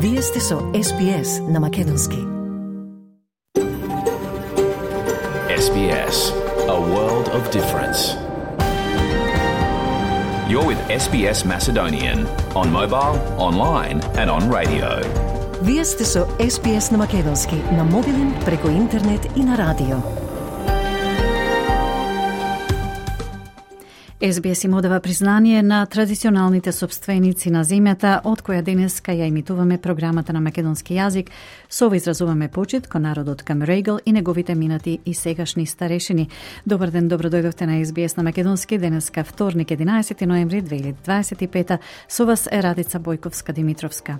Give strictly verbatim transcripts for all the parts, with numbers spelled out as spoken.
Вие сте со Ес Би Ес на Македонски. Ес Би Ес, a world of difference. You're with Ес Би Ес Macedonian on mobile, online and on radio. Вие сте со Ес Би Ес на Македонски на мобилен, преку интернет и на радио. Ес Би Ес им одава признание на традиционалните собственици на земјата, од која денеска ја имитуваме програмата на македонски јазик. Со ова изразуваме почит кон народот Камерегл и неговите минати и сегашни старешини. Добар ден, добро дојдовте на Ес Би Ес на Македонски. Денеска вторник, единаесети ноември две илјади дваесет и пета. Со вас е Радица Бојковска-Димитровска.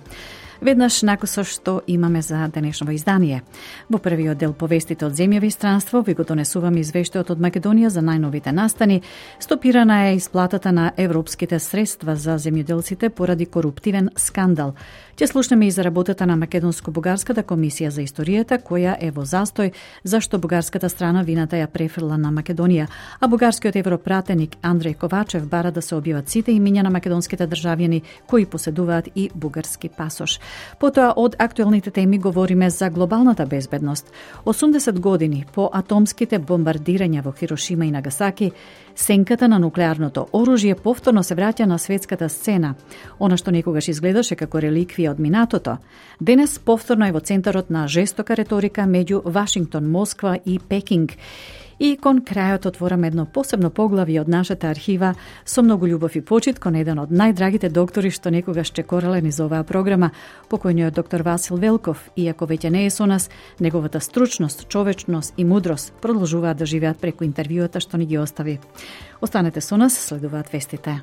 Веднаш накусо што имаме за денешно издание. Во првиот дел повестите од земјови странство ви го донесуваме извештајот од Македонија за најновите настани. Стопирана е исплатата на европските средства за земјоделците поради коруптивен скандал. Ќе слушнеме и за работата на Македонско-бугарската комисија за историјата, која е во застој, зашто бугарската страна вината ја префрла на Македонија, а бугарскиот европратеник Андреј Ковачев бара да се објават сите имиња на македонските државјани кои поседуваат и бугарски пасош. Потоа од актуелните теми говориме за глобалната безбедност. осумдесет години по атомските бомбардирања во Хирошима и Нагасаки, сенката на нуклеарното оружје повторно се враќа на светската сцена. Она што некогаш изгледаше како реликвија од минатото, денес повторно е во центарот на жестока реторика меѓу Вашингтон, Москва и Пекинг. И кон крајот отвораме едно посебно поглавје од нашата архива со многу љубов и почит кон еден од најдрагите доктори што некогаш чекорале низ оваа програма, покојниот доктор Васил Велков. Иако веќе не е со нас, неговата стручност, човечност и мудрост продолжуваат да живеат преку интервјуата што ни ги остави. Останете со нас, следуваат вестите.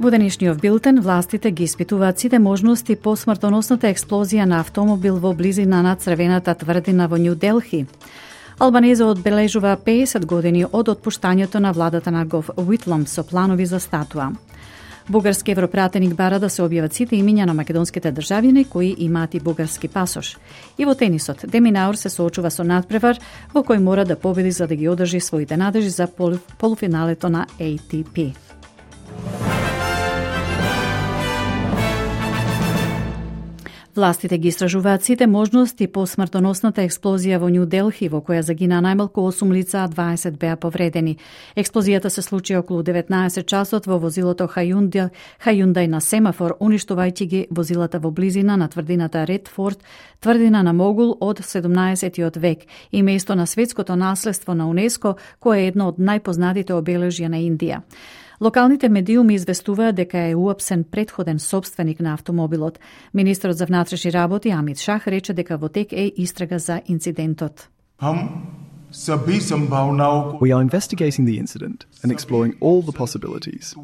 Во денешниот билтен, властите ги испитуваат сите можности по смртоносната експлозија на автомобил во близина на Црвената тврдина во Њу Делхи. Албанеза одбележува пеесет години од отпуштањето на владата на Гов Уитлом со планови за статуа. Бугарски европратеник бара да се објават сите имиња на македонските државјани кои имаат и бугарски пасош. И во тенисот, Деминаур се соочува со надпревар во кој мора да победи за да ги одржи своите надежи за пол, полуфиналето на Ей Ти Пи. Властите ги истражуваат сите можности по смртоносната експлозија во Њу Делхи, во која загина најмалку осум лица, а дваесет беа повредени. Експлозијата се случи околу деветнаесет часот во возилото Хајундај, Хајундај на семафор, уништувајќи ги возилата во близина на тврдината Редфорд, тврдина на Могул од седумнаесеттиот век и место на светското наследство на УНЕСКО, кое е едно од најпознатите обележја на Индија. Локалните медиуми известуваат дека е уапсен претходен собственик на автомобилот. Министерот за внатрешни работи Амит Шах рече дека во тек е истрага за инцидентот. We are investigating the incident and exploring all the possibilities.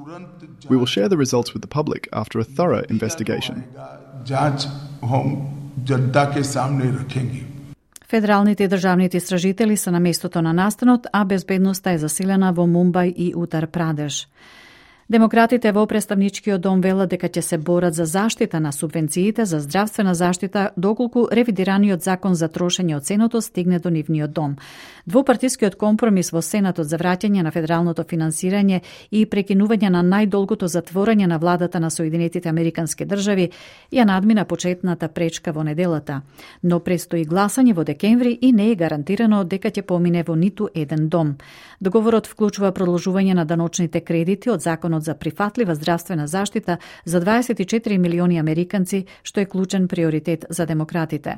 We will share the results with the public after a thorough investigation. Федералните и државните истражители се на местото на настанот, а безбедноста е засилена во Мумбај и Утар Прадеш. Демократите во представничкиот дом велат дека ќе се борат за заштита на субвенциите за здравствена заштита доколку ревидираниот закон за трошење од Сенатот стигне до нивниот дом. Двопартискиот компромис во Сенатот за враќање на федералното финансирање и прекинување на најдолгото затворање на владата на Соединетите Американски држави ја надмина почетната пречка во неделата. Но престои гласање во декември и не е гарантирано дека ќе помине во ниту еден дом. Договорот вклучува продолжување на даночните кредити од законот за прифатлива здравствена заштита за дваесет и четири милиони американци, што е клучен приоритет за демократите.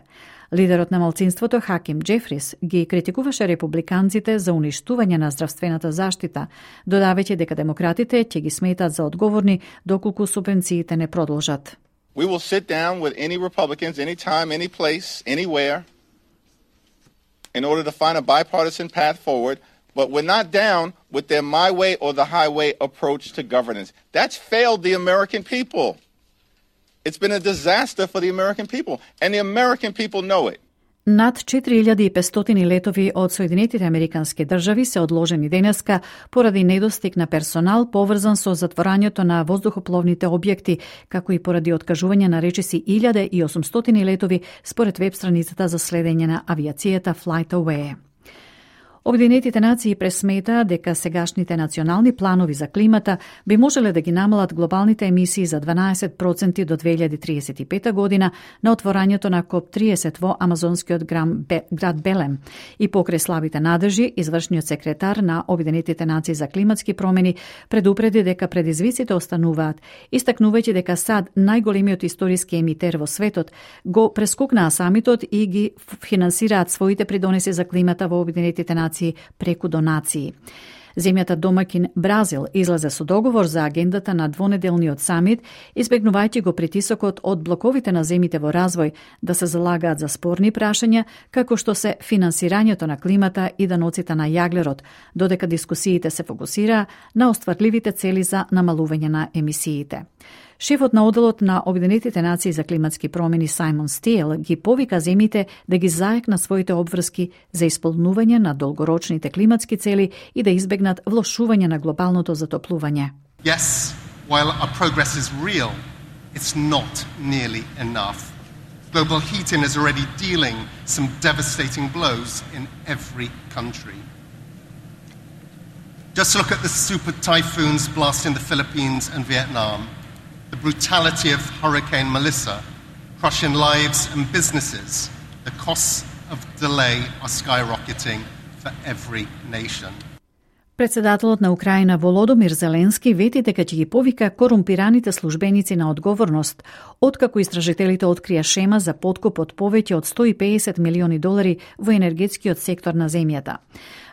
Лидерот на малцинството Хаким Џефрис ги критикуваше републиканците за уништување на здравствената заштита, додавајќи дека демократите ќе ги сметат за одговорни доколку субвенциите не продолжат. We will sit down with any Republicans anytime, any place, anywhere in order to find a bipartisan path forward. But we're not down with their my way or the highway approach to governance. That's failed the American people. It's been a disaster for the American people, and the American people know it. Над четири илјади и петстотини летови од Соединетите Американски држави се одложени денеска поради недостиг на персонал поврзан со затворањето на воздухопловните објекти, како и поради откажување на речиси илјада и осумстотини летови според веб страницата за следење на авиацијата FlightAware. Обединетите нации пресметаа дека сегашните национални планови за климата би можеле да ги намалат глобалните емисии за дванаесет проценти до две илјади триесет и пета година на отворањето на коп триесет во амазонскиот град Белем. И покрај слабите надржи, извршниот секретар на Обединетите нации за климатски промени предупреди дека предизвиците остануваат, истакнувајќи дека САД, најголемиот историски емитер во светот, го прескокнаа самитот и ги финансираат своите придонеси за климата во Обединетите нации преку донации. Земјата домакин Бразил излезе со договор за агендата на двонеделниот самит, избегнувајќи го притисокот од блоковите на земите во развој да се залагаат за спорни прашања, како што се финансирањето на климата и даноците на јаглерод, додека дискусиите се фокусираа на остварливите цели за намалување на емисиите. Шефот на оделот на Обединетите нации за климатски промени Сајмон Стиел ги повика земите да ги заекнат своите обврски за исполнување на долгорочните климатски цели и да избегнат влошување на глобалното затоплување. Yes, while our progress is real, it's not nearly enough. Global heating is already dealing some devastating blows in every country. Just look at the super typhoons blasting the Philippines and Vietnam. The brutality of Hurricane Melissa, crushing lives and businesses. The costs of delay are skyrocketing for every nation. Председателот на Украина Володомир Зеленски вети дека ќе ги повика корумпираните службеници на одговорност, откако истражителите открија шема за подкуп од повеќе од сто и педесет милиони долари во енергетскиот сектор на земјата.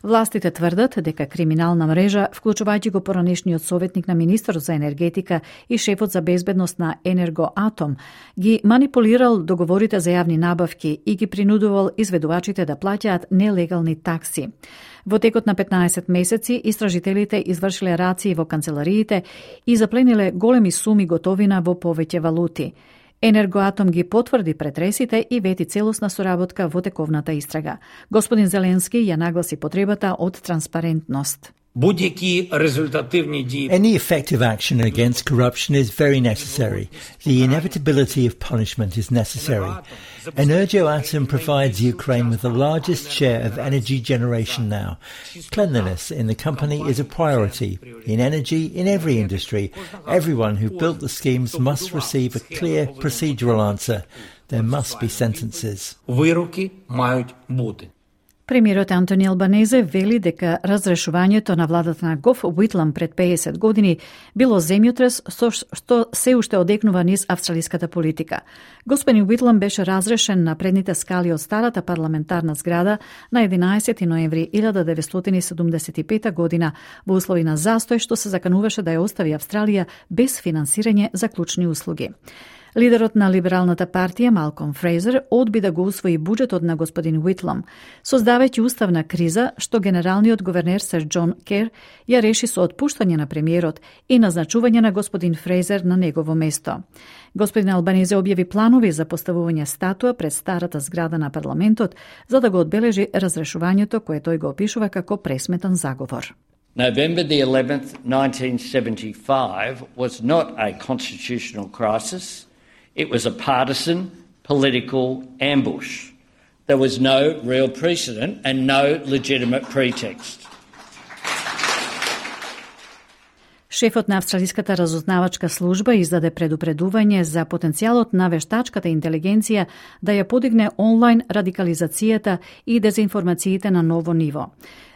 Властите тврдат дека криминална мрежа, вклучувајќи го поранешниот советник на министерот за енергетика и шефот за безбедност на Енергоатом, ги манипулирал договорите за јавни набавки и ги принудувал изведувачите да плаќаат нелегални такси. Во текот на петнаесет месеци, истражителите извршиле рации во канцелариите и заплениле големи суми готовина во повеќе валути. Енергоатом ги потврди претресите и вети целосна соработка во тековната истрага. Господин Зеленски ја нагласи потребата од транспарентност. Any effective action against corruption is very necessary. The inevitability of punishment is necessary. Energoatom provides Ukraine with the largest share of energy generation now. Cleanliness in the company is a priority. In energy, in every industry, everyone who built the schemes must receive a clear procedural answer. There must be sentences. Премиерот Антони Албанезе вели дека разрешувањето на владата на Гоф Уитлам пред педесет години било земјотрес со што се уште одекнува низ австралиската политика. Господин Уитлам беше разрешен на предните скали од старата парламентарна зграда на единаесети ноември илјада деветстотини седумдесет и пета година во услови на застој што се закануваше да ја остави Австралија без финансирање за клучни услуги. Лидерот на либералната партија Малком Фрейзер одби да го усвои буџетот на господин Уитлам, создавајќи уставна криза што генералниот говернер Сер Џон Кер ја реши со отпуштање на премиерот и назначување на господин Фрейзер на негово место. Господин Албанезе објави планови за поставување статуа пред старата зграда на парламентот за да го одбележи разрешувањето кое тој го опишува како пресметан заговор. November the eleventh, nineteen seventy-five was not a constitutional crisis. It was a partisan political ambush. There was no real precedent and no legitimate pretext. Шефот на Австралиската разузнавачка служба издаде предупредување за потенцијалот на вештачката интелигенција да ја подигне онлайн радикализацијата и дезинформациите на ново ниво.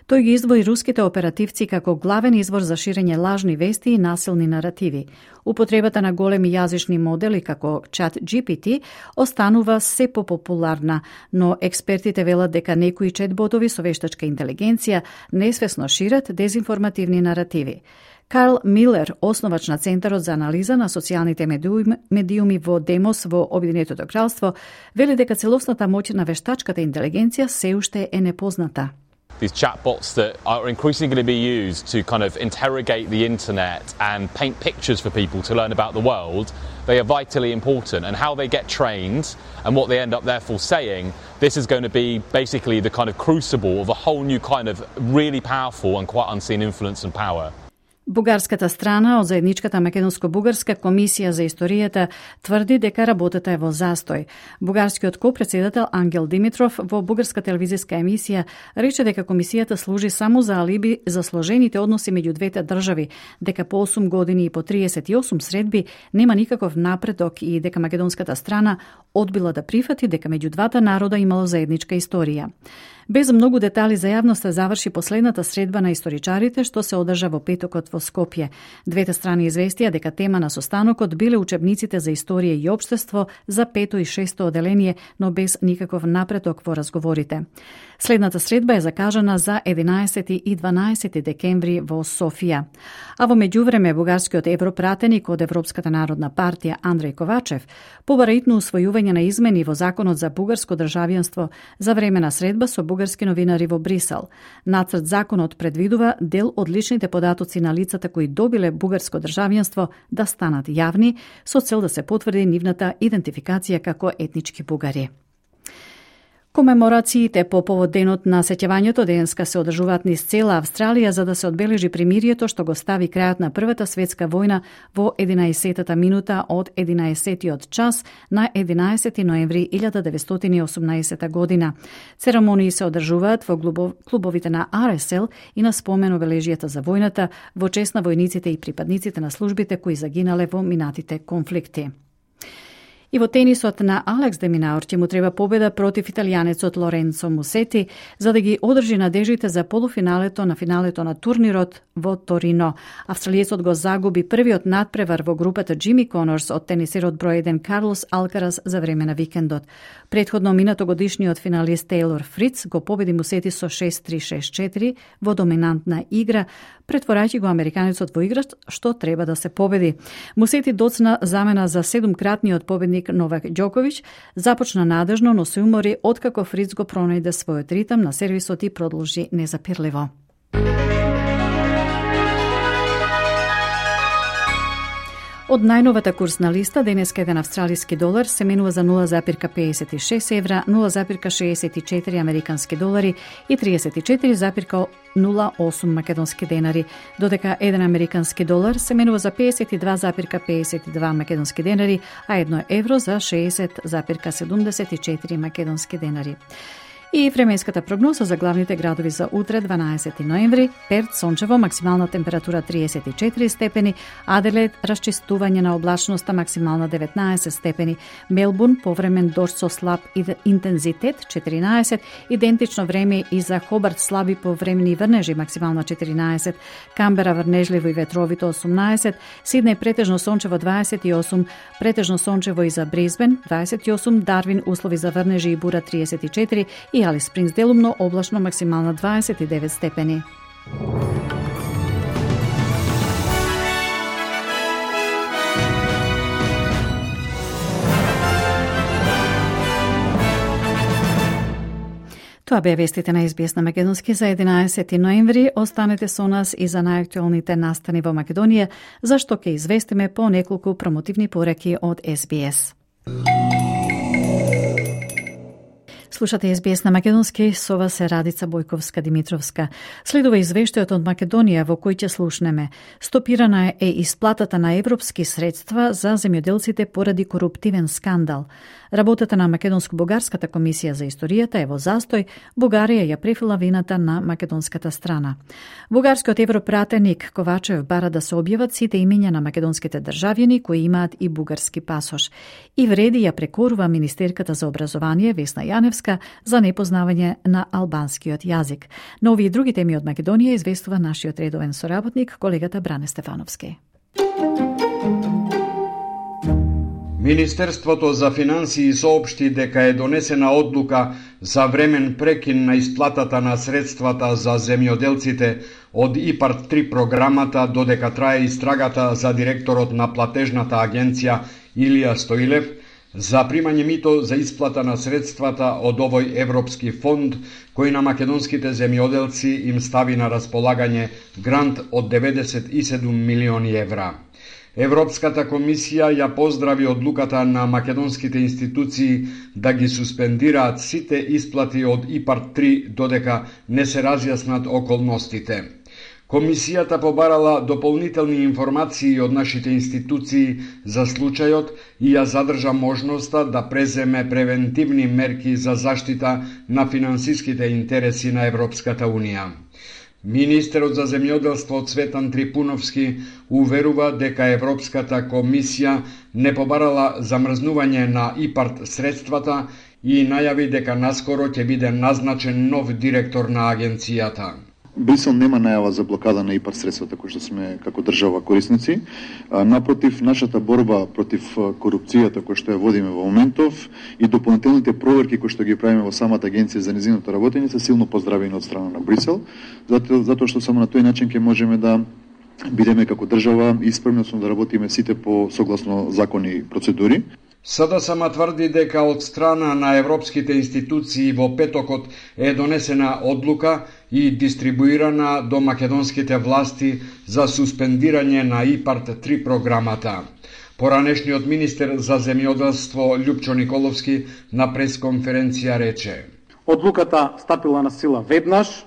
Тој ги издвои руските оперативци како главен извор за ширење лажни вести и насилни наративи. Употребата на големи јазични модели како Чат Джи Пи Ти останува се попопуларна, но експертите велат дека некои четботови со вештачка интелигенција несвесно шират дезинформативни наративи. Карл Милер, основач на Центарот за анализа на социјалните медиуми, медиуми во Демос во Обединетото кралство, вели дека целосната моќ на вештачката интелигенција се уште е непозната. These chatbots that are increasingly going to be used to kind of interrogate the internet and paint pictures for people to learn about the world, they are vitally important. And how they get trained and what they end up therefore saying, this is going to be basically the kind of crucible of a whole new kind of really powerful and quite unseen influence and power. Бугарската страна од заедничката македонско-бугарска комисија за историјата тврди дека работата е во застој. Бугарскиот ко-председател Ангел Димитров во бугарска телевизиска емисија рече дека комисијата служи само за алиби за сложените односи меѓу двете држави, дека по осум години и по триесет и осум средби нема никаков напредок и дека македонската страна одбила да прифати дека меѓу двата народа имало заедничка историја. Без многу детали за јавноста заврши последната средба на историчарите што се одржа во петокот во Скопје. Двете страни известија дека тема на состанокот биле учебниците за историја и општество за пето и шесто оделение, но без никаков напредок во разговорите. Следната средба е закажана за единаесети и дванаесети декември во Софија. А во меѓувреме бугарскиот европратеник од Европската народна партија Андреј Ковачев побара итно усвојување на измени во законот за бугарско државјанство за време на средба со бугарски новинари во Брисел. Нацрт законот предвидува дел од личните податоци на лицата кои добиле бугарско државјанство да станат јавни со цел да се потврди нивната идентификација како етнички бугари. Комеморациите по повод денот на сеќавањето денеска се одржуваат низ цела Австралија за да се одбележи примирието што го стави крајот на Првата светска војна во единаесеттата минута од единаесеттиот час на единаесети ноември илјада деветстотини и осумнаесета година. Церемонии се одржуваат во клубовите на Ар Ес Ел и на спомен обележијата за војната во чест на војниците и припадниците на службите кои загинале во минатите конфликти. И во тенисот на Алекс де Минаур ќе му треба победа против италијанецот Лоренцо Мусети за да ги одржи надежите за полуфиналето на финалето на турнирот во Торино. Австралиецот го загуби првиот надпревар во групата Джими Конорс од тенисерот број еден Карлос Алкарас за време на викендот. Предходно минатогодишниот финалист Тейлор Фриц го победи Мусети со шест три шест четири во доминантна игра, претворајќи го американецот во играч што треба да се победи. Мусети доцна замена за седумкратниот победник Новак Ѓоковиќ, започна надежно, но се умори откако Фриц го пронајде својот ритм на сервисот и продолжи незапирливо. Од најновата курсна листа, денеска еден австралиски долар се менува за нула запирка педесет и шест евра, нула запирка шеесет и четири американски долари и триесет и четири запирка нула осум македонски денари, додека еден американски долар се менува за педесет и два запирка педесет и два македонски денари, а едно евро за шеесет запирка седумдесет и четири македонски денари. И временската прогноза за главните градови за утре, дванаесети ноември: Перт сончево, максимална температура триесет и четири степени, Аделаид расчистување на облачноста, максимална деветнаесет степени, Мелбурн повремен дожд со слаб интензитет четиринаесет, идентично време и за Хобарт, слаби повремени врнежи, максимална четиринаесет, Камбера врнежливо и ветровито осумнаесет, Сиднеј претежно сончево дваесет и осум, претежно сончево и за Брисбен дваесет и осум, Дарвин услови за врнежи и бура триесет и четири и Алис Спрингс делумно облачно, максимална дваесет и девет степени. Тоа беа вестите на Ес Би Ес на македонски за единаесети ноември. Останете со нас и за најактуелните настани во Македонија, зашто ќе известиме по неколку промотивни пораки од Ес Би Ес. Слушате Ес Би Ес на македонски, со вас е Радица Бојковска-Димитровска. Следува извештајот од Македонија во кој ќе слушнеме. Стопирана е исплатата на европски средства за земјоделците поради коруптивен скандал. Работата на Македонско-бугарската комисија за историјата е во застој, Бугарија ја префила вината на македонската страна. Бугарскиот европратеник Ковачев бара да се објават сите имиња на македонските државјани кои имаат и бугарски пасош. И вреди ја прекорува министерката за образование Весна Јаневска за непознавање на албанскиот јазик. На овие и други теми од Македонија известува нашиот редовен соработник, колегата Бране Стефановски. Министерството за финансии соопшти дека е донесена одлука за времен прекин на исплатата на средствата за земјоделците од ИПАРД три програмата додека трае истрагата за директорот на платежната агенција Илија Стоилев за примање мито за исплата на средствата од овој европски фонд кој на македонските земјоделци им стави на располагање грант од деветдесет и седум милиони евра. Европската комисија ја поздрави одлуката на македонските институции да ги суспендираат сите исплати од ИПАРД три додека не се разјаснат околностите. Комисијата побарала дополнителни информации од нашите институции за случајот и ја задржа можноста да преземе превентивни мерки за заштита на финансиските интереси на Европската Унија. Министерот за земјоделство Цветан Трипуновски уверува дека Европската комисија не побарала замрзнување на ИПАРТ средствата и најави дека наскоро ќе биде назначен нов директор на агенцијата. Брисел нема најава за блокада на ИПАРТ средствата кои што сме како држава корисници. Напротив, нашата борба против корупцијата која што ја водиме во моментов и дополнителните проверки кои што ги правиме во самата агенција за нејзиното работење се силно поздравени од страна на Брисел, затоа, затоа што само на тој начин ќе можеме да бидеме како држава исправни да работиме сите по согласно закони и процедури. СДСМ тврди дека од страна на европските институции во петокот е донесена одлука и дистрибуирана до македонските власти за суспендирање на ИПАРТ три програмата. Поранешниот министер за земјоделство Љупчо Николовски на пресконференција рече: Одлуката стапила на сила веднаш,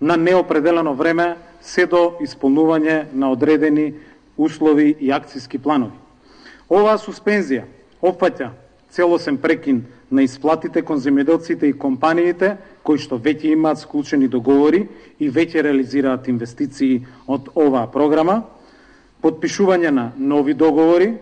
на неопределено време, се до исполнување на одредени услови и акцијски планови. Оваа суспензија опфаќа целосен прекин на исплатите кон земјоделците и компаниите кои што веќе имаат склучени договори и веќе реализираат инвестиции од оваа програма, подпишување на нови договори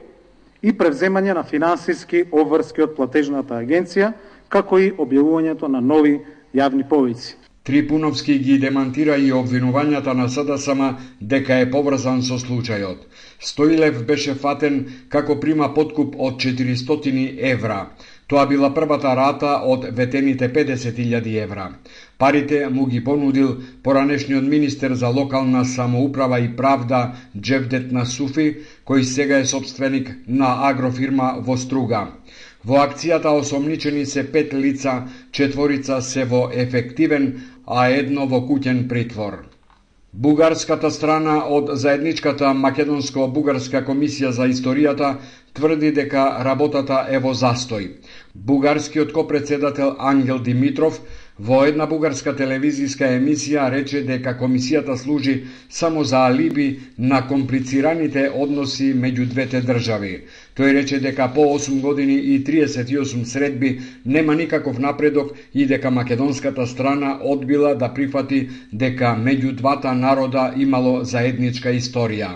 и превземање на финансиски обврски од платежната агенција, како и објавувањето на нови јавни повици. Трипуновски ги демантира и обвинувањата на СДСМ дека е поврзан со случајот. Стоилев беше фатен како прима подкуп од четиристотини евра. Тоа била првата рата од ветените педесет илјади евра. Парите му ги понудил поранешниот министер за локална самоуправа и правда Џевдет Насуфи, кој сега е собственик на агрофирма во Струга. Во акцијата осомничени се пет лица, четворица се во ефективен, а едно во куќен притвор. Бугарската страна од заедничката Македонско-бугарска комисија за историјата тврди дека работата е во застој. Бугарскиот копредседател Ангел Димитров во една бугарска телевизиска емисија рече дека комисијата служи само за алиби на комплицираните односи меѓу двете држави. Тој рече дека по осум години и триесет и осум средби нема никаков напредок и дека македонската страна одбила да прифати дека меѓу двата народа имало заедничка историја.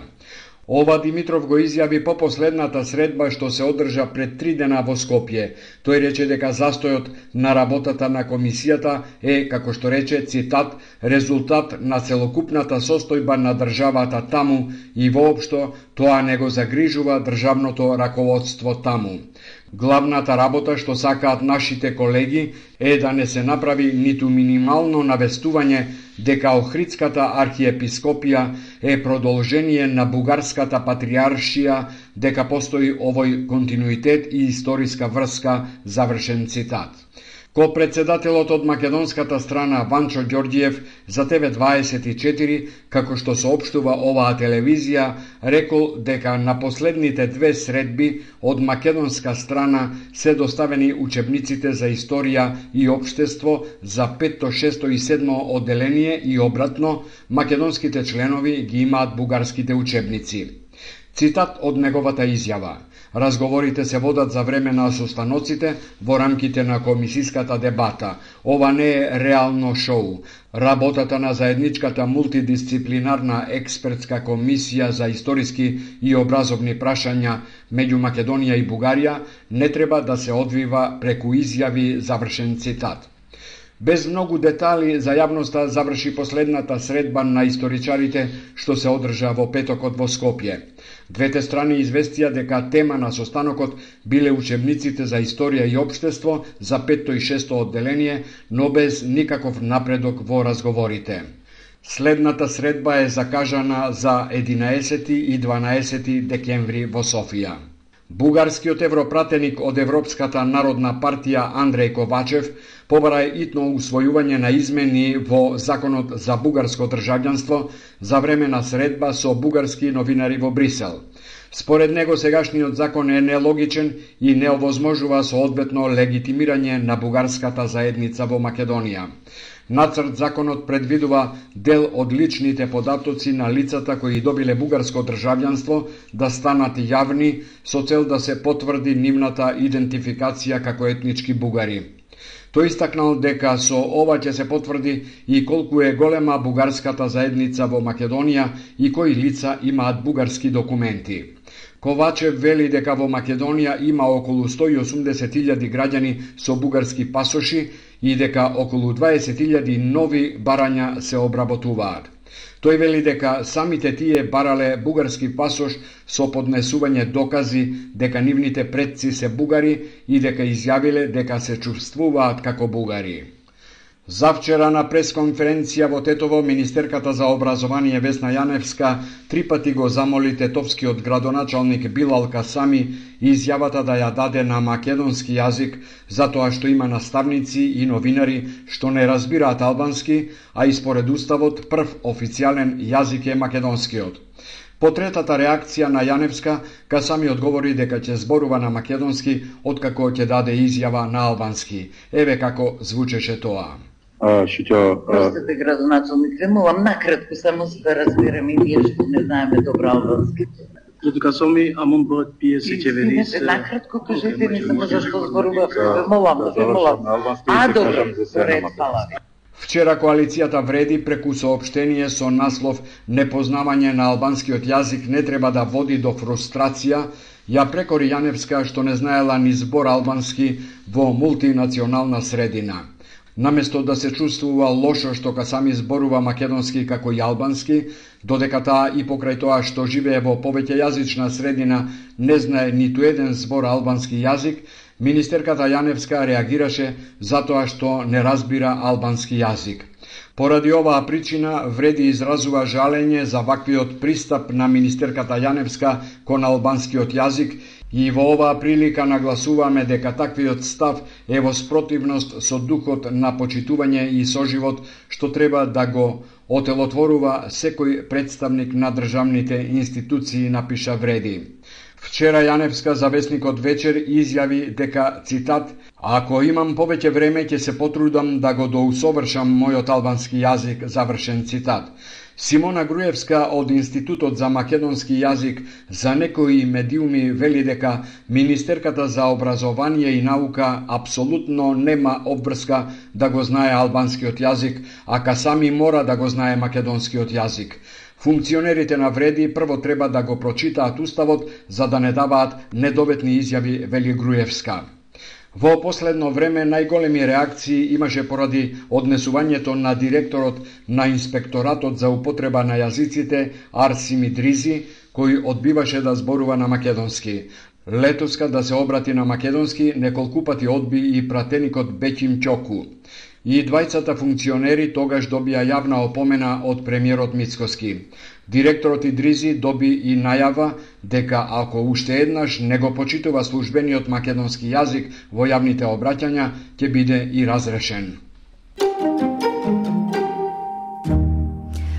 Ова Димитров го изјави по последната средба што се одржа пред три дена во Скопје. Тој рече дека застојот на работата на комисијата е, како што рече, цитат, резултат на целокупната состојба на државата таму и воопшто тоа не го загрижува државното раководство таму. Главната работа што сакаат нашите колеги е да не се направи ниту минимално навестување дека Охридската архиепископија е продолжение на бугарската патриаршија, дека постои овој континуитет и историска врска, завршен цитат. Ко-председателот од македонската страна Ванчо Ѓорѓиев за Т В дваесет и четири, како што соопштува оваа телевизија, рекол дека на последните две средби од македонска страна се доставени учебниците за историја и општество за петто, шесто и седмо одделение и обратно, македонските членови ги имаат бугарските учебници. Цитат од неговата изјава: разговорите се водат за време на состаноците во рамките на комисиската дебата. Ова не е реално шоу. Работата на заедничката мултидисциплинарна експертска комисија за историски и образовни прашања меѓу Македонија и Бугарија не треба да се одвива преку изјави, завршен цитат. Без многу детали за јавноста заврши последната средба на историчарите што се одржа во петокот во Скопје. Двете страни известија дека тема на состанокот биле учебниците за историја и општество за петто и шесто одделение, но без никаков напредок во разговорите. Следната средба е закажана за единаесети и дванаесети декември во Софија. Бугарскиот европратеник од Европската народна партија Андреј Ковачев побара итно усвојување на измени во Законот за бугарско државјанство за време на средба со бугарски новинари во Брисел. Според него сегашниот закон е нелогичен и не овозможува соодветно легитимирање на бугарската заедница во Македонија. Нацрт законот предвидува дел од личните податоци на лицата кои добиле бугарско државјанство да станат јавни со цел да се потврди нивната идентификација како етнички бугари. Тој истакнал дека со ова ќе се потврди и колку е голема бугарската заедница во Македонија и кои лица имаат бугарски документи. Ковачев вели дека во Македонија има околу сто и осумдесет илјади граѓани со бугарски пасоши и дека околу дваесет илјади нови барања се обработуваат. Тој вели дека самите тие барале бугарски пасош со поднесување докази дека нивните предци се бугари и дека изјавиле дека се чувствуваат како бугари. Завчера на пресконференција во Тетово, министерката за образование Весна Јаневска три пати го замоли тетовскиот градоначалник Билал Касами изјавата да ја даде на македонски јазик, затоа што има наставници и новинари што не разбираат албански, а и според уставот прв официјален јазик е македонскиот. По третата реакција на Јаневска, Касами одговори дека ќе зборува на македонски откако ќе даде изјава на албански. Еве како звучеше тоа. Простите, градоначалник, ве молам накратко само за да разберем и ние што не знаеме добро албански. Касоми, амон бројот пиесет деведесет. Извинете, накратко кажете ми само зашто зборува, ве молам, ве молам. А, добро, ред, фала ви. Вчера коалицијата Вреди преку соопштение со наслов "Непознавање на албанскиот јазик не треба да води до фрустрација" ја прекори Јаневска што не знаела ни збор албански во мултинационална средина. Наместо да се чувствува лошо што Касами зборува македонски како и албански, додека таа и покрај тоа што живее во повеќе јазична средина не знае ниту еден збор албански јазик, министерката Јаневска реагираше затоа што не разбира албански јазик. Поради оваа причина Вреди изразува жалење за ваквиот пристап на министерката Јаневска кон албанскиот јазик и во оваа прилика нагласуваме дека таквиот став е во спротивност со духот на почитување и соживот што треба да го отелотворува секој представник на државните институции, напиша Вреди. Вчера Јаневска за весникот Вечер изјави дека, цитат, "Ако имам повеќе време ќе се потрудам да го доусовршам мојот албански јазик", завршен цитат. Симона Груевска од Институтот за македонски јазик за некои медиуми вели дека министерката за образование и наука апсолутно нема обврска да го знае албанскиот јазик, а Касами мора да го знае македонскиот јазик. Функционерите на Вреди прво треба да го прочитаат уставот за да не даваат недоветни изјави, вели Груевска. Во последно време најголеми реакции имаше поради однесувањето на директорот на инспекторатот за употреба на јазиците Арсим Идризи, кој одбиваше да зборува на македонски. Летоска да се обрати на македонски неколку пати одби и пратеникот Беќим Ќоку. И двајцата функционери тогаш добија јавна опомена од премиерот Мицкоски. Директорот Идризи доби и најава дека ако уште еднаш не го почитува службениот македонски јазик во јавните обраќања, ќе биде и разрешен.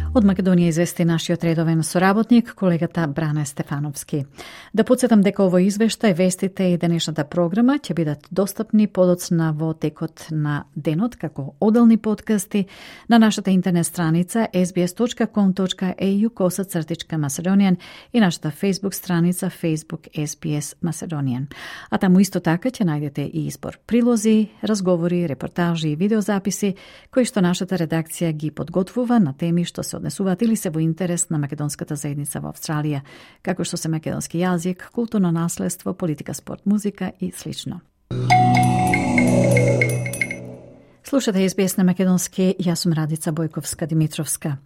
Од Македонија извести нашиот редовен соработник, колегата Бране Стефановски. Да подсетам дека овој извештај, вестите и денешната програма ќе бидат достапни подоцна во текот на денот како одделни подкасти на нашата интернет страница ес би ес точка ком точка ей ю косацртичка Macedonian и нашата Facebook страница Facebook ес би ес Macedonian. А таму исто така ќе најдете и избор прилози, разговори, репортажи и видеозаписи кои што нашата редакција ги подготвува на теми што се однесуваат или се во интерес на македонската заедница во Австралија, како што се македонски јазик, културно наследство, политика, спорт, музика и слично. Слушате ес би ес на македонски, јас сум Радица Бојковска-Димитровска.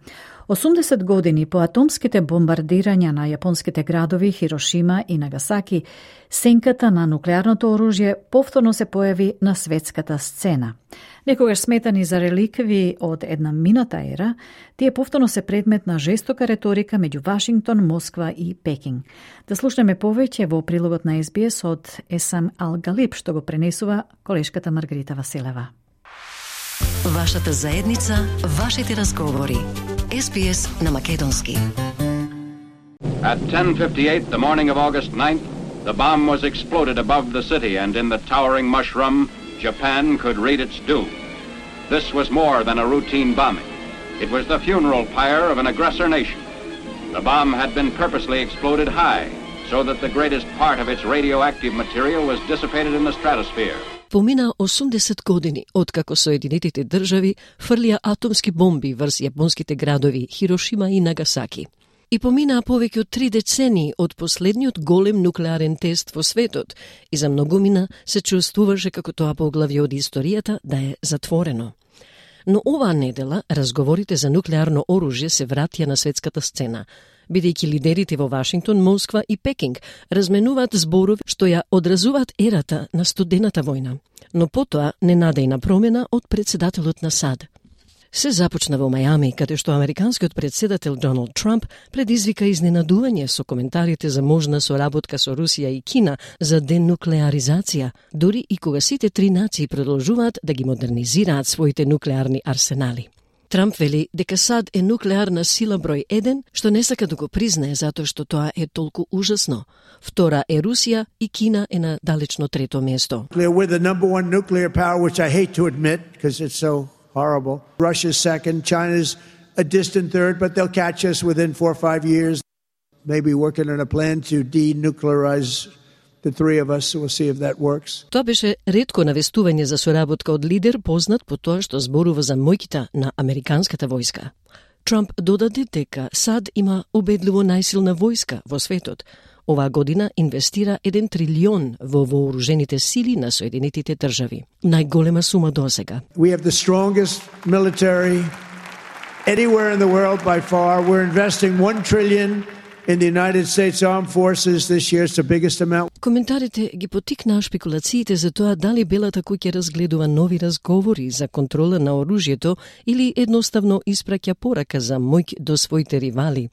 осумдесет години по атомските бомбардирања на јапонските градови Хирошима и Нагасаки, сенката на нуклеарното оружје повторно се појави на светската сцена. Некогаш сметани за реликви од една мината ера, тие повторно се предмет на жестока реторика меѓу Вашингтон, Москва и Пекинг. Да слушнеме повеќе во прилогот на ес би ес од Есам Ал-Галиб, што го пренесува колешката Маргарита Василева. Вашата заедница, вашите разговори. ес би ес на македонски. At ten fifty-eight, the morning of August ninth, the bomb was exploded above the city, and in the towering mushroom, Japan could read its doom. This was more than a routine bombing. It was the funeral pyre of an aggressor nation. The bomb had been purposely exploded high so that the greatest part of its radioactive material was dissipated in the stratosphere. Помина осумдесет години откако Соединетите држави фрлија атомски бомби врз јапонските градови Хирошима и Нагасаки. И поминаа повеќе од три децении од последниот голем нуклеарен тест во светот и за многумина се чувствуваше како тоа поглавје од историјата да е затворено. Но оваа недела разговорите за нуклеарно оружје се вратија на светската сцена, бидејќи лидерите во Вашингтон, Москва и Пекинг разменуваат зборови што ја одразуваат ерата на студената војна, но потоа ненадејна промена од председателот на САД. Се започна во Мајами, каде што американскиот председател Доналд Трамп предизвика изненадување со коментарите за можна соработка со Русија и Кина за денуклеаризација, дури и кога сите три нации продолжуваат да ги модернизираат своите нуклеарни арсенали. Трамп вели дека САД е нуклеарна сила број еден, што не сака да го признае затоа што тоа е толку ужасно. Втора е Русија и Кина е на далечно трето место. We're the number one nuclear power, which I hate to admit because it's so horrible. Russia's second, China's a distant third, but they'll catch us within four or five years. Maybe working on a plan to denuclearize the three of us, so we'll see if that works. Тоа беше ретко навестување за соработка од лидер познат по тоа што зборува за моќта на американската војска. Трамп додаде дека САД има убедливо најсилна војска во светот. Оваа година инвестира еден трилион во вооружените сили на Соединетите држави. Најголема сума досега. We have the strongest military anywhere in the world by far. We're investing one trillion in the United States Armed Forces this year. It's the biggest amount. Коментарите ги потикнаа шпекулациите за тоа дали Белата куќа разгледува нови разговори за контрола на оружјето или едноставно испраќа порака за моќ до своите ривали.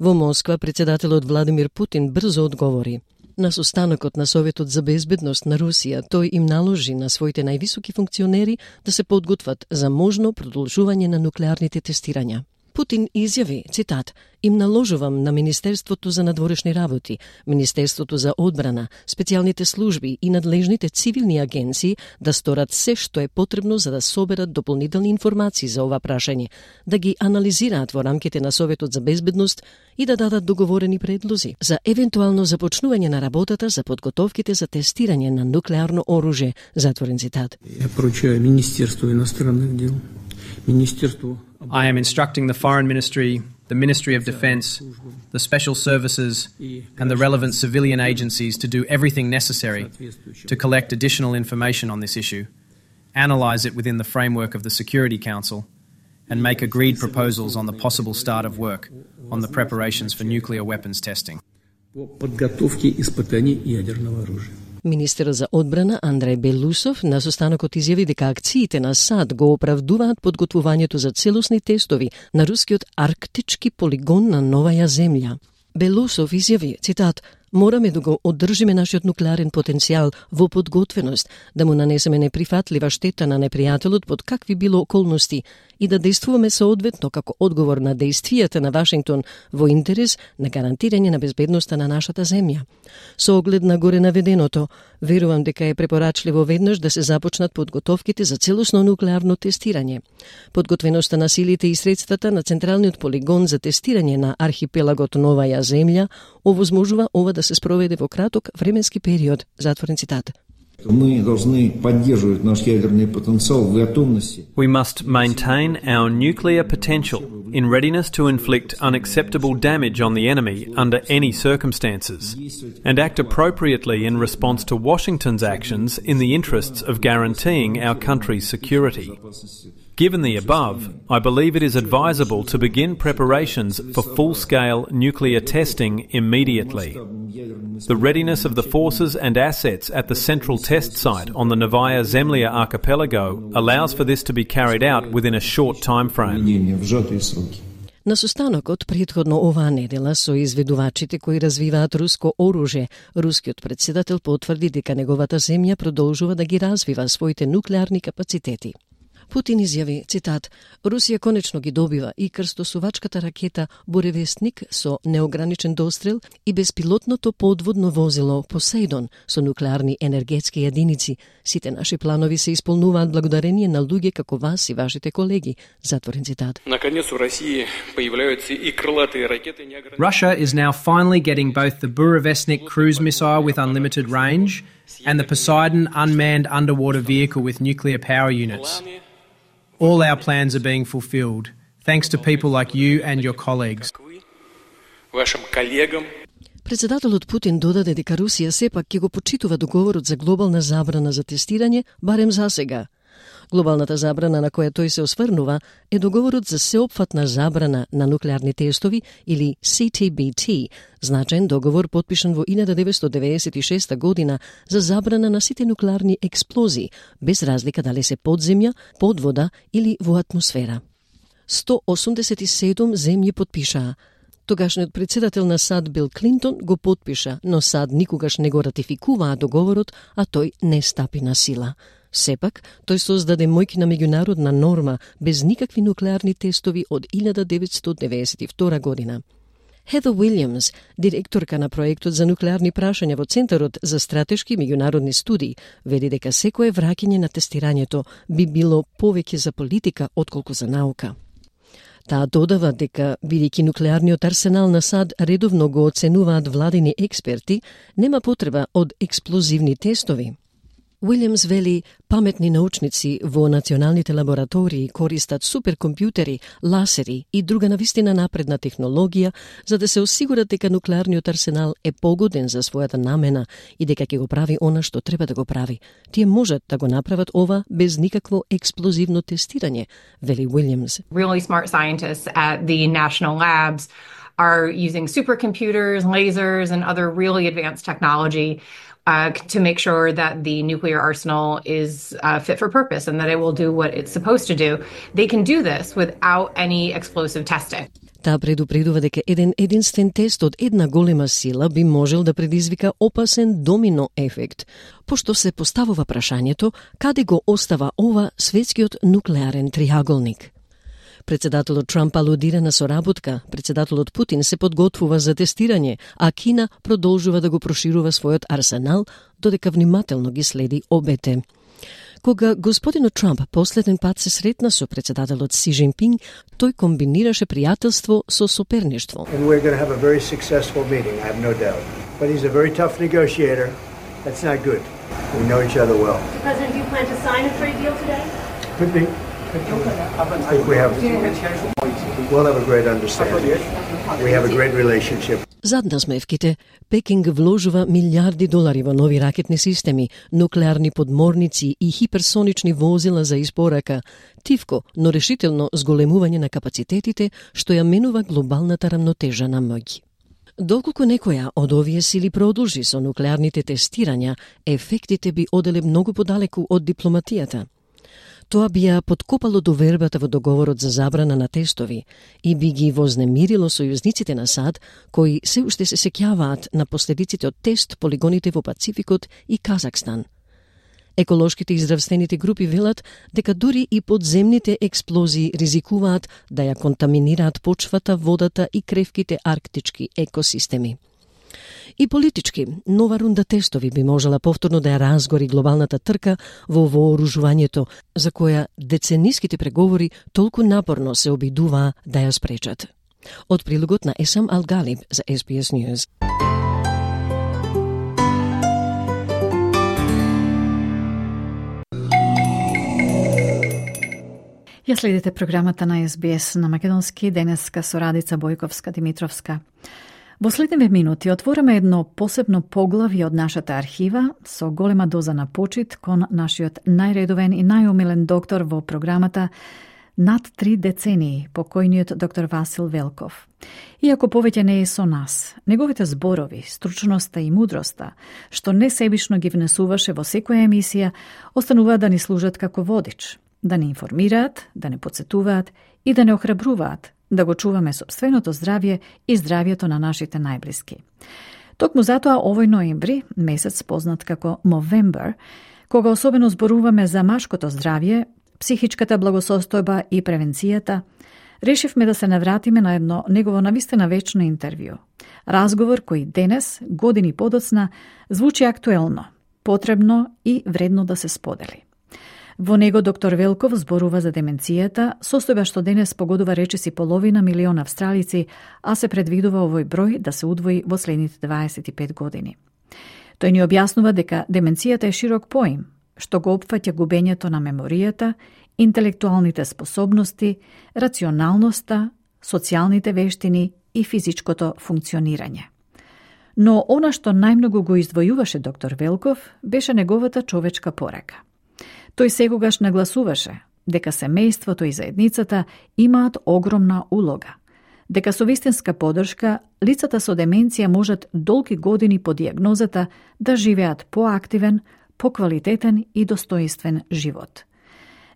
Во Москва председателот Владимир Путин брзо одговори. На состанокот на Советот за безбедност на Русија, тој им наложи на своите највисоки функционери да се подготват за можно продолжување на нуклеарните тестирања. Путин изјави, цитат, им наложувам на Министерството за надворешни работи, Министерството за одбрана, специјалните служби и надлежните цивилни агенции да сторат се што е потребно за да соберат дополнителни информации за ова прашање, да ги анализираат во рамките на Советот за безбедност и да дадат договорени предлози за евентуално започнување на работата за подготовките за тестирање на нуклеарно оружје, затворен цитат. Ја поручају Министерство иностранних дел, Министерство I am instructing the Foreign Ministry, the Ministry of Defence, the Special Services, and the relevant civilian agencies to do everything necessary to collect additional information on this issue, analyse it within the framework of the Security Council, and make agreed proposals on the possible start of work on the preparations for nuclear weapons testing. Министерот за одбрана Андреј Белусов на состанокот изјави дека акциите на САД го оправдуваат подготвувањето за целосни тестови на рускиот арктички полигон на Новаја земја. Белусов изјави, цитат, мораме да го одржиме нашиот нуклеарен потенцијал во подготвеност, да му нанесеме неприфатлива штета на непријателот под какви било околности и да действуваме соодветно како одговор на действијата на Вашингтон во интерес на гарантирање на безбедноста на нашата земја. Со оглед на горе наведеното, верувам дека е препорачливо веднаш да се започнат подготовките за целосно нуклеарно тестирање. Подготвеноста на силите и средствата на Централниот полигон за тестирање на архипелагот Новаја земја овозможува ова да се спроведе во краток временски период, затворен цитат. Мы должны поддерживать наш ядерный потенциал в готовности. We must maintain our nuclear potential in readiness to inflict unacceptable damage on the enemy under any circumstances, and act appropriately in response to Washington's actions in the interests of guaranteeing our country's security. Given the above, I believe it is advisable to begin preparations for full-scale nuclear testing immediately. The readiness of the forces and assets at the central test site on the Novaya Zemlya archipelago allows for this to be carried out within a short time frame. На состанокот претходно оваа недела со изведувачите кои развиваат руско оружје, рускиот председател потврди дека неговата земја продолжува да ги развива своите нуклеарни капацитети. Путин изјави, цитат, Русија конечно ги добива и крстосувачката ракета Буревестник со неограничен дострел и безпилотното подводно возило Посейдон со нуклеарни енергетски единици. Сите наши планови се исполнуваат благодарение на луѓе како вас и вашите колеги. Затворен цитат. Наконец у России появляются и крылатые ракеты неограниченного. Russia is now finally getting both the Burevestnik cruise missile with unlimited range and the Poseidon unmanned underwater vehicle with nuclear power units. All our plans are being fulfilled, thanks to people like you and your colleagues. Вашим коллегам. Председателот Путин додаде дека Русија сепак ќе го почитува договорот за глобална забрана за тестирање, барем за сега. Глобалната забрана на која тој се осврнува е договорот за сеопфатна забрана на нуклеарни тестови или Си Ти Би Ти, значаен договор потпишан во илјада деветстотини деветдесет и шеста година за забрана на сите нуклеарни експлозии, без разлика дали се под земја, под вода или во атмосфера. сто осумдесет и седум земји потпишаа. Тогашниот председател на САД Бил Клинтон го потпиша, но САД никогаш не го ратификуваа договорот, а тој не стапи на сила. Сепак, тој создаде мојкина меѓународна норма без никакви нуклеарни тестови од илјада деветстотини деветдесет и втора година. Хедер Уилјамс, директорка на проектот за нуклеарни прашања во Центарот за стратешки меѓународни студии, вели дека секое враќање на тестирањето би било повеќе за политика отколку за наука. Таа додава дека, бидејќи нуклеарниот арсенал на САД редовно го оценуваат владини експерти, нема потреба од експлозивни тестови. Уилјамс вели, паметни научници во националните лаборатории користат суперкомпјутери, ласери и друга навистина напредна технологија за да се осигурат дека нуклеарниот арсенал е погоден за својата намена и дека ќе го прави она што треба да го прави. Тие можат да го направат ова без никакво експлозивно тестирање, вели Уилјамс. Really smart scientists at the national labs are using supercomputers, lasers and other really advanced technology Uh, to make sure that the nuclear arsenal is uh, fit for purpose and that it will do what it's supposed to do. They can do this without any explosive testing. Таа предупредува дека еден единствен тест од една голема сила би можел да предизвика опасен домино ефект, пошто се поставува прашањето каде го остава ова светскиот нуклеарен триаголник. Председателот Трамп алудира на соработка, председателот Путин се подготвува за тестирање, а Кина продолжува да го проширува својот арсенал, додека внимателно ги следи обете. Кога господинот Трамп последен пат се сретна со председателот Си Джинпинг, тој комбинираше пријателство со соперништво. And we're going to have a very successful meeting, I have no doubt. But he's a very tough negotiator. That's not good. We know each other well. President, do you plan to sign a trade deal today? Could be. I think we have, we'll have a great understanding. We have a great relationship. Зад насмевките, Пекинг вложува милиарди долари во нови ракетни системи, нуклеарни подморници и хиперсонични возила за испорака, тивко, но решително зголемување на капацитетите, што ја менува глобалната рамнотежа на моќ. Доколку некоја од овие сили продолжи со нуклеарните тестирања, ефектите би оделе многу подалеку од дипломатијата. Тоа би ја подкопало довербата во договорот за забрана на тестови и би ги вознемирило сојузниците на САД, кои се уште се сеќаваат на последиците од тест полигоните во Пацификот и Казахстан. Еколошките и здравствените групи велат дека дури и подземните експлозии ризикуваат да ја контаминираат почвата, водата и кревките арктички екосистеми. И политички, нова рунда тестови би можела повторно да ја разгори глобалната трка во вооружувањето, за која децениските преговори толку напорно се обидуваа да ја спречат. Од прилогот на Есам Ал-Галиб за Ес Би Ес News. Ја следите програмата на Ес Би Ес на македонски, денеска со Радица Бојковска-Димитровска. Во следниве минути отвораме едно посебно поглавје од нашата архива со голема доза на почит кон нашиот најредовен и најомилен доктор во програмата над три децении, покојниот доктор Васил Велков. Иако повеќе не е со нас, неговите зборови, стручноста и мудроста, што не себишно ги внесуваше во секоја емисија, останува да ни служат како водич, да ни информираат, да не подсетуваат и да не охрабруваат, да го чуваме собственото здравје и здравјето на нашите најблиски. Токму затоа овој ноември, месец познат како Movember, кога особено зборуваме за машкото здравје, психичката благосостојба и превенцијата, решивме да се навратиме на едно негово навистина вечно интервју. Разговор кој денес, години подоцна, звучи актуелно, потребно и вредно да се сподели. Во него доктор Велков зборува за деменцијата, состојба што денес погодува речиси половина милион австралици, а се предвидува овој број да се удвои во следните дваесет и пет години. Тој ни објаснува дека деменцијата е широк поим, што го опфаќа губењето на меморијата, интелектуалните способности, рационалноста, социјалните вештини и физичкото функционирање. Но она што најмногу го издвојуваше доктор Велков беше неговата човечка порака. Тој секогаш нагласуваше дека семејството и заедницата имаат огромна улога, дека со вистинска поддршка лицата со деменција можат долги години по дијагнозата да живеат поактивен, поквалитетен и достоинствен живот.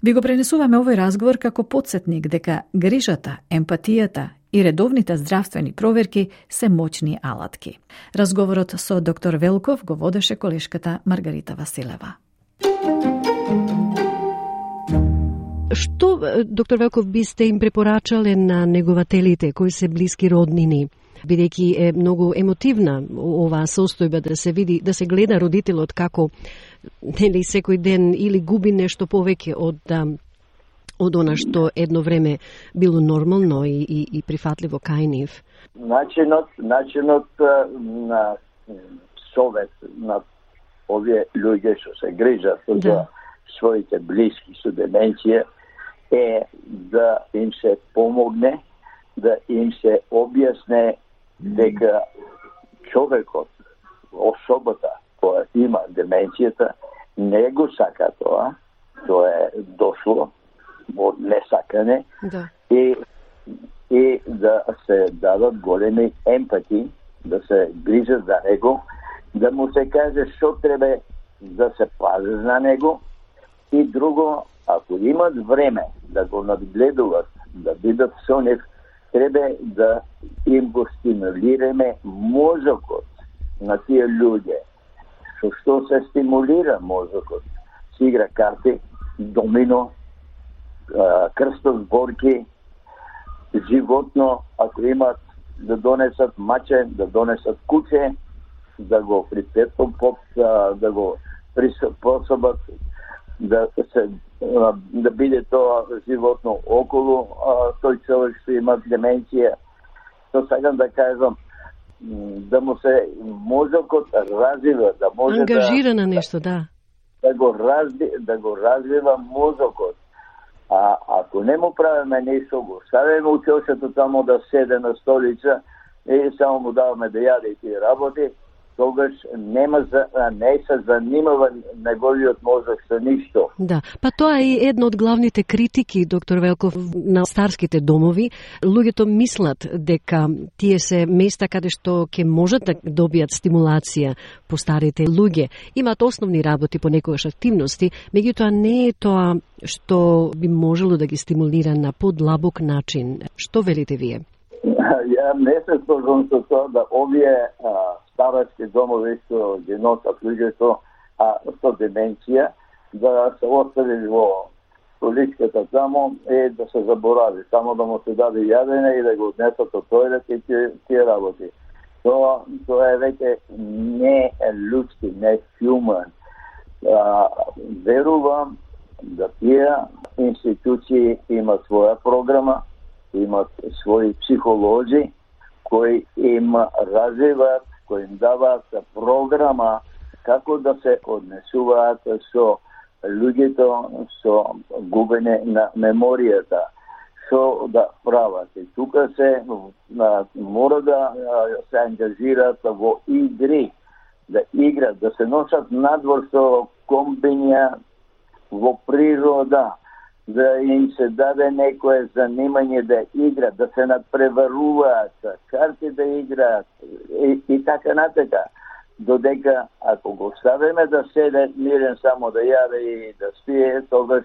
Ви го пренесуваме овој разговор како потсетник дека грижата, емпатијата и редовните здравствени проверки се моćни алатки. Разговорот со доктор Велков го водеше колешката Маргарита Василева. Што, доктор Велков, бисте им препорачале на негователите кои се блиски роднини, бидејќи е многу емотивна оваа состојба да се види, да се гледа родителот како нели секој ден или губи нешто повеќе од од она што едно време било нормално и, и, и прифатливо кај нив? Начинот, начинот на совет на овие луѓе што се грижат да. за своите блиски со деменција е да им се помогне, да им се објасне дека човекот, особата која има деменцијата, не го сака тоа, тоа е дошло од несакане да. и, и да се дадат големи емпати, да се грижат за него, да му се каже што треба да се пази за него и друго, ако имат време да го надгледуват, да бидат со нив, треба да им го стимулираме мозокот на тие луѓе. Со што се стимулира мозокот? Се игра карти, домино, крстозборки, животно, ако имат да донесат маче, да донесат куче, да го припретопот, да го приспособат, да се да биде тоа животно околу тој човек што има деменција. Тоа сакам да кажам, да му се мозокот развива, да може ангажира да, на нешто, да. Да го разви, да го развива мозокот. А ако не му правиме нешто, го ставиме учењето тамо да седе на столица и само му даваме да јаде и тие работи, тогаш нема за, не се занимава неговиот мозок со ништо. Да, па тоа е една од главните критики, доктор Велков, на старските домови. Луѓето мислат дека тие се места каде што ќе можат да добијат стимулација по старите луѓе. Имаат основни работи, понекогаш активности, меѓутоа не е тоа што би можело да ги стимулира на подлабок начин. Што велите вие? Ја не се сложам со тоа да овие а, старачки домови што ги носат луѓето а со деменција да се остави во столичката тамо и да се заборави, само да му се даде јадење и да го однесат од тојлет и тие, тие работи. Тоа, тоа е веќе не е луѓски, не е human. А, верувам да тие институции имат своја програма, имат своји психолози кои им развиваат, кои им даваат програма како да се однесуваат со луѓето со губење на меморијата, што да прават. И тука се мора да се ангажираат во игри, да играт, да се носат надвор со комбинја во природа, да им се даде некое занимање да играат, да се надпреваруваат, карти да играат и, и така натака. Додека ако го ставиме да седе мирен само да јаде и да спие, тогаш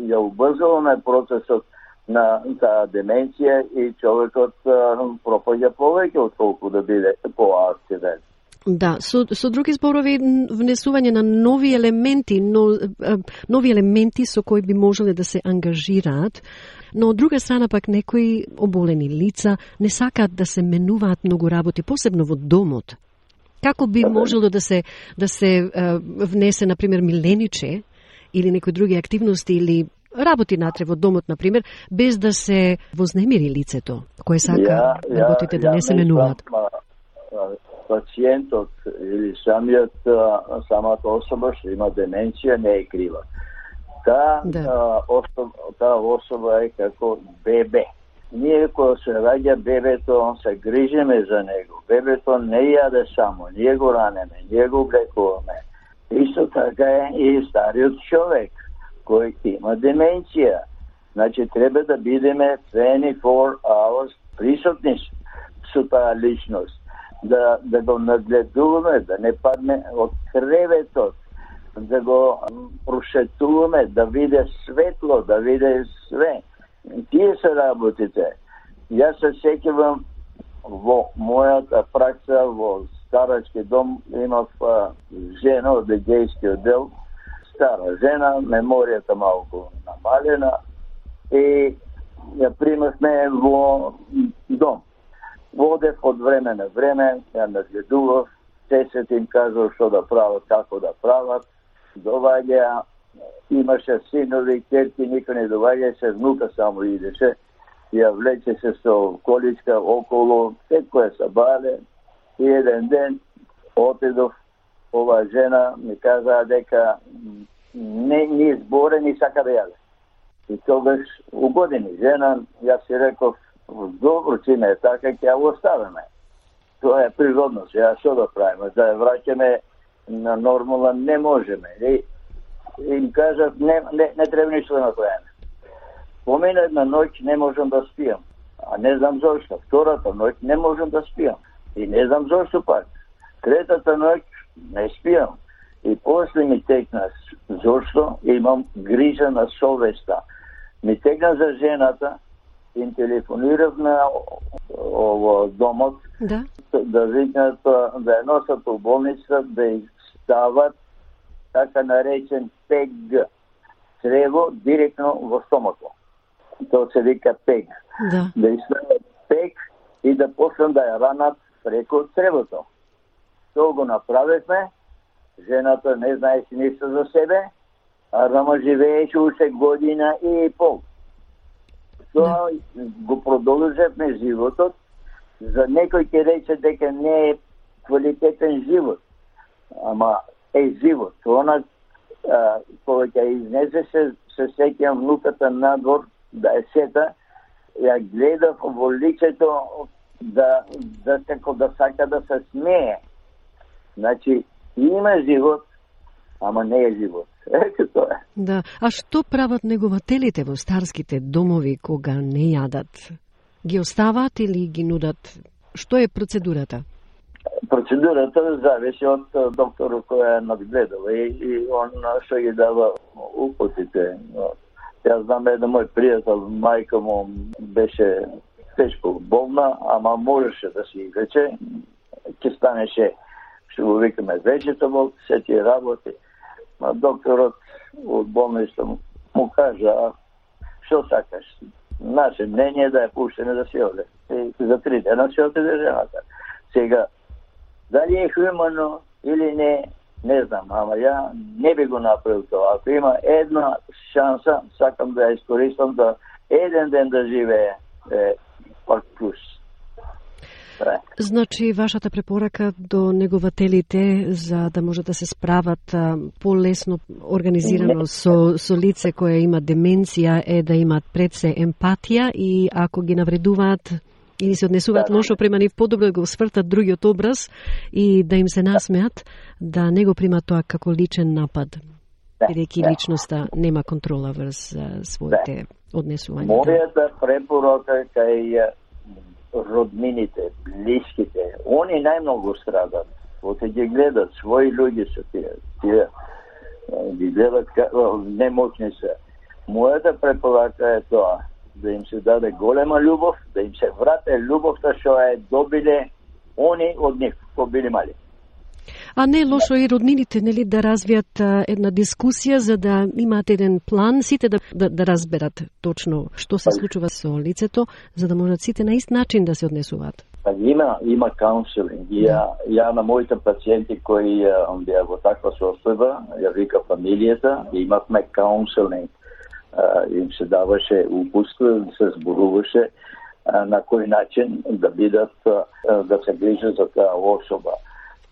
ја убрзуваме процесот на таа деменција и човекот пропаѓа повеќе отколку да биде поактивен. Да, со, со други зборови, внесување на нови елементи, но, нови елементи со кои би можеле да се ангажираат, но од друга страна пак некои оболени лица не сакаат да се менуваат многу работи, посебно во домот. Како би можело да се да се внесе, например, милениче или некои други активности или работи натре во домот, например, без да се вознемири лицето, кое сака ја, работите ја, да не се менуваат? Пациентот или самиот, самата особа што има деменција не е крива. Таа да. особа, та особа е како бебе. Ние кога се раѓа бебето, се грижиме за него. Бебето не јаде само, ние го ранеме, ние го облекуваме. Исто така е и стариот човек кој има деменција. Значи треба да бидеме дваесет и четири hours присутни со таа личност. Да, да го нагледуваме, да не падне од креветот, да го прошетуваме, да виде светло, да виде све. Тие се работите. Јас се сеќавам во мојата пракса во старачки дом, имав жена од гејскиот дел, стара жена, меморијата малку намалена и ја примавме во дом. Водев од време на време, ја нагледував, се се им кажал што да прават, како да прават, доваѓа, имаше синови, керки, никој не доваѓа, се внука само идеше, ја влече се со количка околу, секој се бале, и еден ден отидов, ова жена ми каза дека не ни зборе, ни сака да јаде. И тогаш угодени жена, јас си реков, добро, чиме е така, ќе ја оставиме. Тоа е природно, ја што да правиме, да ја враќаме на нормала не можеме. И им кажат, не, не, не треба ништо да направиме. Помина една ноќ не можам да спијам, а не знам зошто. Втората ноќ не можам да спијам и не знам зошто пак. Третата ноќ не спијам и после ми текна зошто имам грижа на совеста. Ми текна за жената, им телефонирав на ово домот да, да викнат да ја носат у болница, да ја стават така наречен пег црево директно во стомато. Тоа се вика пег. Да, да ја стават пег и да почнат да ја ранат преку цревото. Тоа го направивме. Жената не знаеше ништо за себе, а рама живееше уште година и пол. Тоа да. Го продолжевме животот. За некој ќе рече дека не е квалитетен живот. Ама е живот. Она кога ќе изнесе се, се сеќам внуката надвор да е сета, ја гледав во лицето да, да, како да сака да се смее. Значи, има живот, ама не е живот. Ето тоа е. Да. А што прават негователите во старските домови кога не јадат? Ги остават или ги нудат? Што е процедурата? Процедурата зависи од докторот кој е надгледал и, и он што ги дава упутите. Јас знам еден мој пријател, мајка му беше тешко болна, ама можеше да си излече, ќе станеше, што го викаме vegetable, се тие работи. Ма докторот од болница му кажа, што сакаш? Наше мнение е да ја пуштене да си оде. И за три дена си отиде жената. Сега, дали е хумано или не, не знам, ама ја не би го направил тоа. Ако има една шанса, сакам да ја искористам да еден ден да живее е, пак плюс. Значи, вашата препорака до негователите за да може да се справат а, полесно организирано со, со лице кое има деменција е да имат пред се емпатија и ако ги навредуваат или се однесуваат да, лошо према нив, подобро да го свртат другиот образ и да им се насмеат, да не го примат тоа како личен напад, бидејќи да. Личноста нема контрола врз а, своите да. Однесувања. Мојата препорака кај роднините, блиските, они најмногу страдат. Оте ги гледат, своји луѓе се тие, тие ги гледат немоćни се. Мојата препорака е тоа, да им се даде голема љубов, да им се врате љубовта што е добиле они од нив, кои били мали. А не е лошо и роднините, нели, да развијат а, една дискусија за да имаат еден план, сите да, да, да разберат точно што се случува со лицето, за да можат сите на ист начин да се однесуваат. Па има, има каунселинг. Ја, ја на моите пациенти кои беа во таква состојба, ја вика фамилијата, имавме каунселинг. Им се даваше упутство, се зборуваше на кој начин да бидат, да се грижат за таа особа.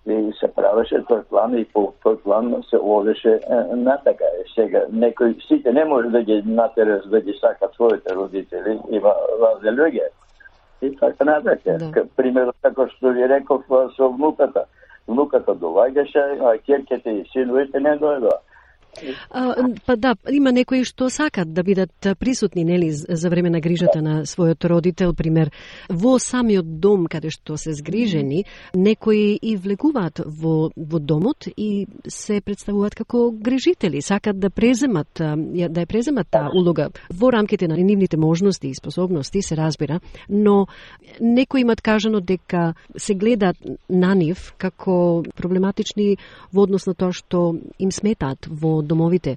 И се правеше тој план и по тој план се одеше натака. Сега, некој, сите не може да ги натераш да ги сакат своите родители, има разни луѓе. И така натака. Да. Примерно, како што ви реков со внуката. Внуката доаѓаше, а ќерките и синовите не дојдоа. А, па да, има некои што сакат да бидат присутни, нели, за време на грижата на својот родител, пример, во самиот дом каде што се згрижени, некои и влегуваат во, во домот и се представуваат како грижители, сакат да преземат, да ја преземат таа улога во рамките на нивните можности и способности, се разбира, но некои имат кажано дека се гледаат на нив како проблематични во однос на тоа што им сметаат во домовите.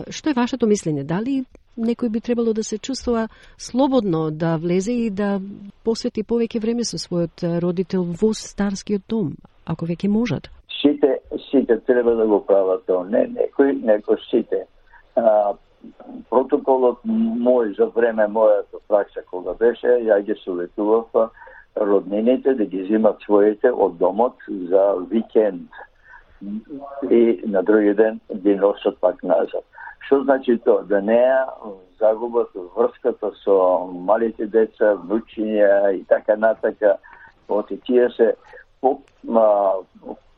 Што е вашето мислење? Дали некој би требало да се чувствува слободно да влезе и да посвети повеќе време со својот родител во старскиот дом, ако веќе можат? Сите, сите треба да го прават тоа. Не некој, некој сите. А, протоколот мој за време мојата пракса кога беше, ја ги советував роднините да ги земат своите од домот за викенд и на други ден ги носат пак назад. Што значи тоа? Да не загубат врската со малите деца, внучиња и така натака. Оти тие се по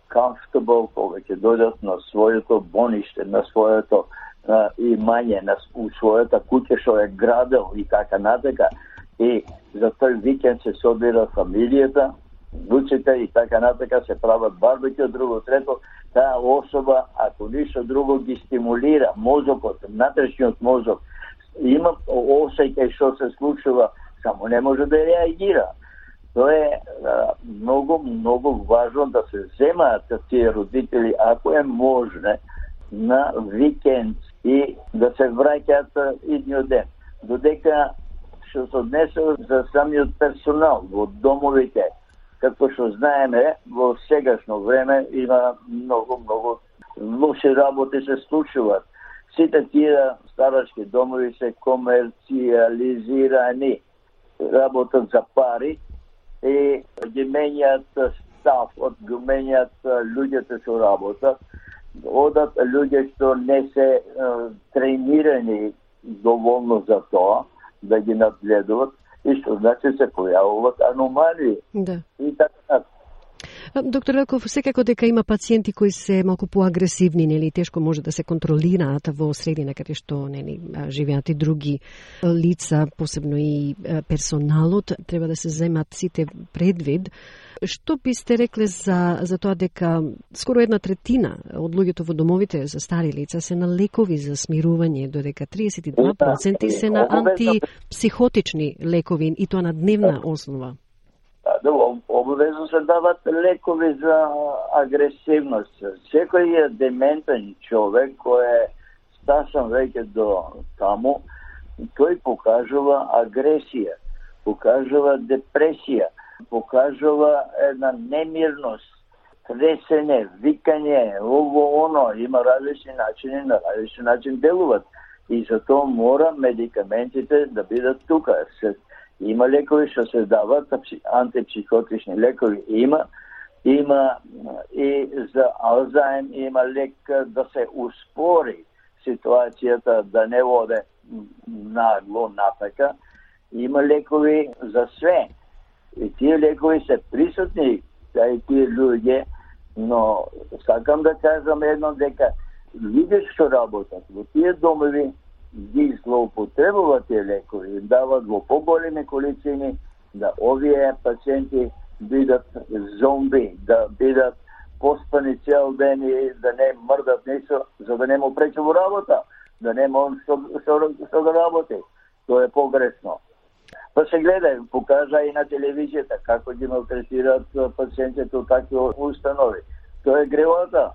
comfortable кога ќе дојдат на своето бониште, на своето а, имање, на својата куќа што е градел и така натака. И за тој викенд се собира фамилијата, внуците и така натака, се прават барбекю, друго, трето, таа особа, ако ништо друго, ги стимулира мозокот, внатрешниот мозок. Има осеќај што се случува, само не може да реагира. Тоа е а, многу, многу важно да се земаат тие родители, ако е можно, на викенд и да се враќаат идниот ден. Додека што се однесе за самиот персонал во домовите, како што знаеме, во сегашно време има многу, многу лоши работи се случуваат. Сите тие старачки домови се комерциализирани, работат за пари и ги менјаат став, ги менјаат луѓето што работат, одат луѓе што не се е, тренирани доволно за тоа, да ги надгледуват, и што значи се појавуваат аномалии. Да. И така. Доктор Велков, секако дека има пациенти кои се малку поагресивни, нели, тешко може да се контролираат во средина каде што, нели, живеат и други лица, посебно и персоналот, треба да се земат сите предвид. Што бисте рекле за за тоа дека скоро една третина од луѓето во домовите за стари лица се на лекови за смирување, додека триесет и два проценти се на антипсихотични лекови и тоа на дневна основа? Да, обавезно се дават лекови за агресивност. Секој е дементен човек кој е стасан веќе до таму, тој покажува агресија, покажува депресија, покажува една немирност, тресење, викање, ово, оно, има различни начини, на различни начин делуват. И затоа мора медикаментите да бидат тука. Има лекови што се дават, антипсихотични лекови има, има и за Алзајм има лек да се успори ситуацијата, да не воде нагло напака. Има лекови за све. И тие лекови се присутни, кај тие луѓе, но сакам да кажам едно дека луѓе што работат во тие домови ги злоупотребуваат тие лекови, дават во поголеми количини, да овие пациенти бидат зомби, да бидат поспани цел ден и да не мрдат ништо, за да не му пречи во работа, да нема он што, што, што да работи. Тоа е погрешно. Па се гледа, покажа и на телевизијата како ги малтретираат пациентите од такви установи. Тоа е гревота.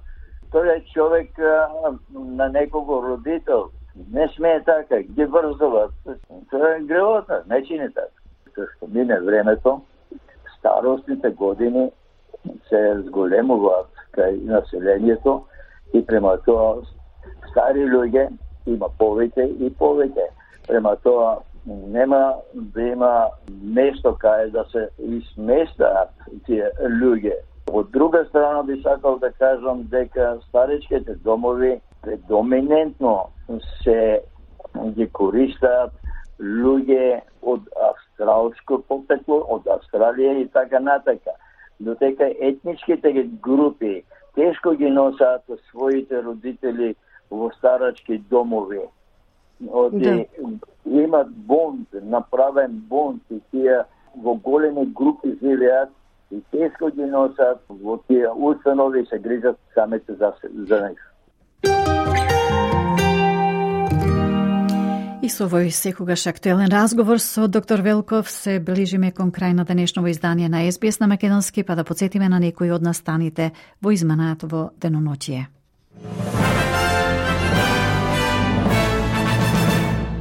Тоа е човек а, на некого родител. Не смее така, ги врзуват. Тоа е гревота, не чини така. Што мине времето, старостните години се зголемуваат кај населението и према тоа стари луѓе има повеќе и повеќе. Према тоа нема да има место кај да се изместаат тие луѓе. Од друга страна би сакал да кажам дека старичките домови предоминентно се ги користаат луѓе од австралско потекло, од Австралија и така натака. Додека етничките групи тешко ги носат своите родители во старачки домови. Оди, да. Имат бонд, направен бонд и тие во големи групи живеат и тешко ги носат во тие установи и се грижат самите за, за них. И со овој секогаш актуелен разговор со доктор Велков се ближиме кон крај на денешново издание на Ес Би Ес на македонски, па да подсетиме на некои од настаните во изманаат во деноноќие.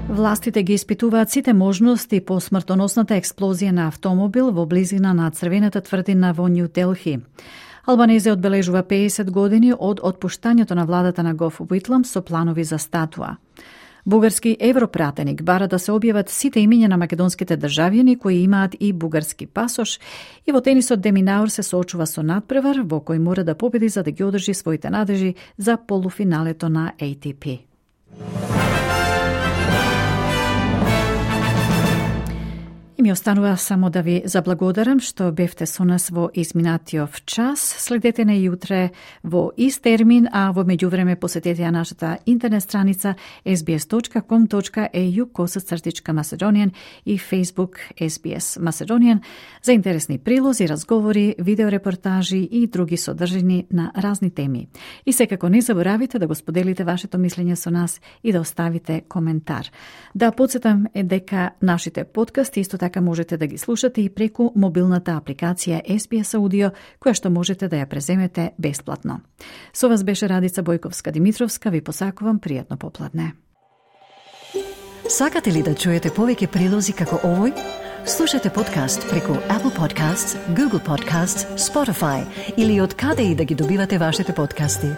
Властите ги испитуваат сите можности по смртоносната експлозија на автомобил во близина на Црвената тврдина во Нью Делхи. Албанезе одбележува педесет години од отпуштањето на владата на Гоф Уитлам со планови за статуа. Бугарски европратеник бара да се објават сите имиња на македонските државјани кои имаат и бугарски пасош, и во тенисот Деминаур се соочува со надпревар во кој мора да победи за да ги одржи своите надежи за полуфиналето на А Т П. И ми останува само да ви заблагодарам што бевте со нас во изминатиот час. Следете на јутре во ист термин, а во меѓувреме посетете ја нашата интернет страница ес би ес точка ком точка е ю косацртичка Macedonian и Facebook Ес Би Ес Macedonian за интересни прилози, разговори, видеорепортажи и други содржини на разни теми. И секако не заборавите да го споделите вашето мислење со нас и да оставите коментар. Да подсетам е дека нашите подкасти исто така можете да ги слушате и преку мобилната апликација Ес Би Ес Аудио, која што можете да ја преземете бесплатно. Со вас беше Радица Бојковска-Димитровска, ви посакувам пријатно попладне. Сакате ли да чуете повеќе прилози како овој? Слушате подкаст преку Apple Podcasts, Google Podcasts, Spotify или од каде и да ги добивате вашите подкасти.